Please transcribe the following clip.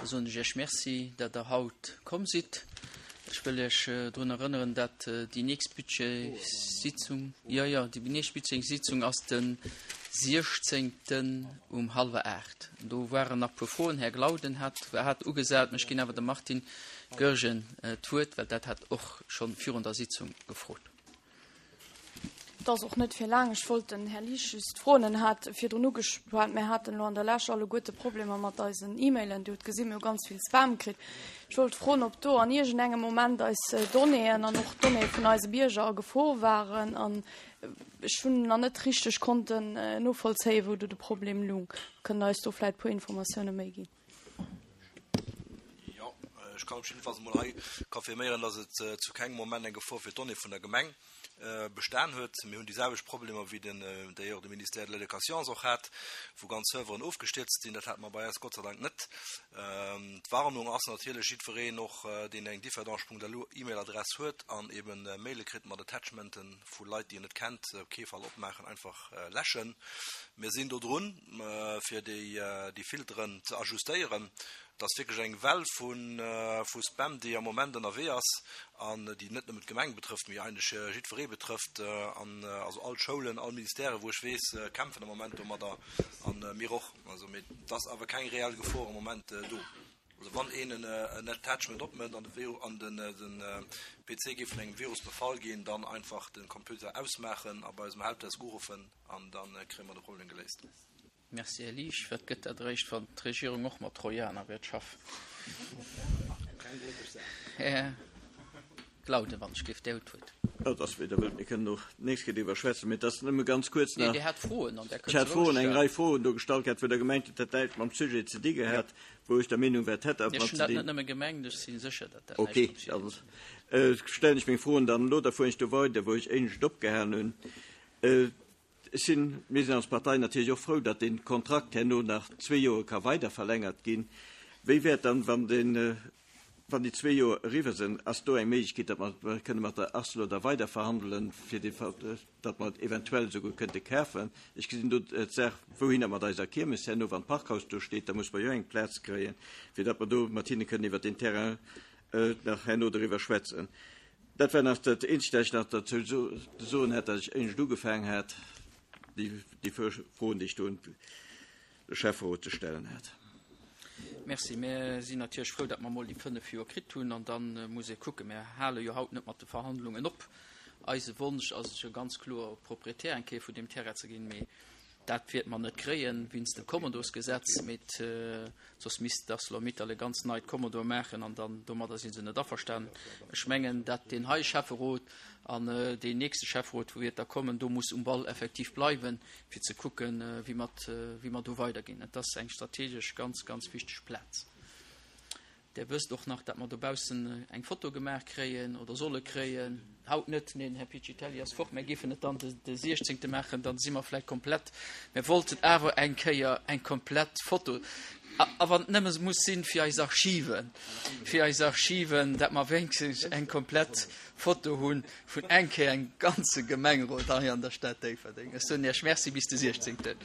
Da soen ech Iech Merci, dat Der haut komm sidd. Ech wëll Iech drun erënneren, dat déi nächst Budgetsitzung, jo, jo, déi nächst Budgetsitzung ass de 16. um hallwer 8. Do waren nach e puer Froen. Här Glauden hat, hat ugesat, mä ech ginn awer dem Martin Goergen d'Wuert, well dat hat och scho virun der Sitzung gefrot. Et ass och net fir laang. Ech wollt den Här Liesch just froen, en hat virdrun ugeschwat, mir haten elo an der Lescht alleguerte Problemer mat eisen E-Mailen. Dir hutt gesinn, mir hu ganz vill Spam kritt. Ech wollt froen, ob do an iergendengem Moment eis Donnéeën an och d'Donnéeë vun eise Bierger a Gefor waren. An ech hunn nach net richteg konnten novollzéien, wou do de Problem lung. Kënnt Der eis do vläicht e puer Informatioune méi ginn? Jo, ech kann op jiddefalls emol hei confirméieren, dass et zu kengem Moment eng Gefor fir d'Donnée vun der Gemeng bestan huet. Mir hunn déi selwecht Problemer wéi den, d'ailleurs de Ministère de l'Éducation se och hat, wou ganz Serveren ofgestierzt sinn. Dat hate mer bei eis Gott sei Dank net. D'Warnung ass natierlech, jiddwereen och, deen eng differdange.lu E-Mail-Adress huet an eben Maile kritt mat Attachmenten vu Leit, déi en net kennt, op kee Fall opmaachen, einfach läschen. Mir sinn do drun. fir déi Filteren ze ajustéieren. Et ass wierklech eng Well vu Spam, déi am Moment ënnerwee ass an déi net nëmmen d'Gemeng betrëfft, mee eigentlech jiddweree betrëfft. An also all d'Schoulen, all Ministèren, wou ech weess, kämpfen am Moment domadder an mir och. Also, mee et ass awer keng reell Gefor am Moment do. Also wann een en Attachment opmëtt an de PC géif vun engem Virus befall ginn, dann einfach de Computer ausmaachen a bei eisem Helpdesk uruffen an da kréie mer de Problem geléist. Merci, Här Liesch. Wat gëtt dat eréischt, wann d'Regierung och mat Trojaner wäert schaffen? Här Glauden, wann ech géif Där hutt d'Wuert. Jo, et ass wéi Der wëllt. Mir kënnen och d'nächst Kéier driwwer schwätzen. Mee et ass nëmme ganz kuerz nach. Nee, Dir hat Froen an där kënnt Ech hat Froen, eng Rei Froen do gestallt gehat, wou Der gemengt hutt, dat näischt mam Sujet ze di gehat, wou ech der Meenung war, et hätt awer mat ze dinn. Ech hunn dat net nëmme gemengt, ech si sécher, datt dat näischt mam Sujet ze dinn huet. Ok, da stellen ech meng Froen dann elo. Da fueren ech do weider, wou ech éinescht opgehalen hunn. Ech sinn, mir sinn als Partei natierlech och frou, datt dee Kontrakt herno nach zwee Joer ka weider verlängert ginn. Wéi wäert dann, wann deen, wann déi zwee Joer eriwwer sinn, ass do eng Méiglechkeet, datt mer kënne mat der Arcelor da weider verhandelen, fir dee, datt mer et eventuell esouguer kënnte kafen? Ech gesinn do d'Saach, wouhinner mat eiser Kiermes herno, wann d'Parkhaus do steet, da muss mer jo eng Plaz kréien, fir datt mer do mat hinne kënnen iwwert deen Terrain nach herno doriwwer schwätzen. Dat war nach dat Eenzegt, dat ech nach derzou ze soen hat, dat ech éinescht ugefaangen hat, déi Froen, déi ech do un de Schäfferot ze stellen hat. Merci. Mir sinn natierlech frou, datt mer emol déi fënnf Joer kritt hunn. An da muss ee kucken. Mir hale jo haut net mat de Verhandlungen op. Eise Wonsch ass et jo ganz kloer, Proprietär eng Kéier vun deem Terrain ze ginn. Mee Dat wäerte mer net kréien, wéinst dem Kommodosgesetz, mee soss misst d'Arcelor-Mittal e ganz neit Commodore maachen an dann domadder si se net averstanen. Ech mengen, dat deen hei Schäfferot an deen nächste Schäfferot, wou wäert da kommen, do muss um Ball effektiv bleiwen, fir ze kucken, wéi mer, wéi mer do weiderginn. Et ass eng strategesch ganz, ganz wichteg Plaz. Där wësst och nach, dat mer dobaussen eng Foto gemaach kréien oder solle kréien. Haut net, neen, Här Piccitelli ass fort. Mär géifen et dann de siechzéngte maachen, dann si mer vläicht komplett. Mär wollten awer eng Kéier eng komplett Foto, a wann et nëmme muss sinn fir eis Archiven, fir eis Archiven, dat mer wéinstens eng komplett Foto hu vun eng Kéier engem ganze Gemengerot hei an der Stad Déifferdeng. Ech soen Iech Merci, bis de siechzéngten.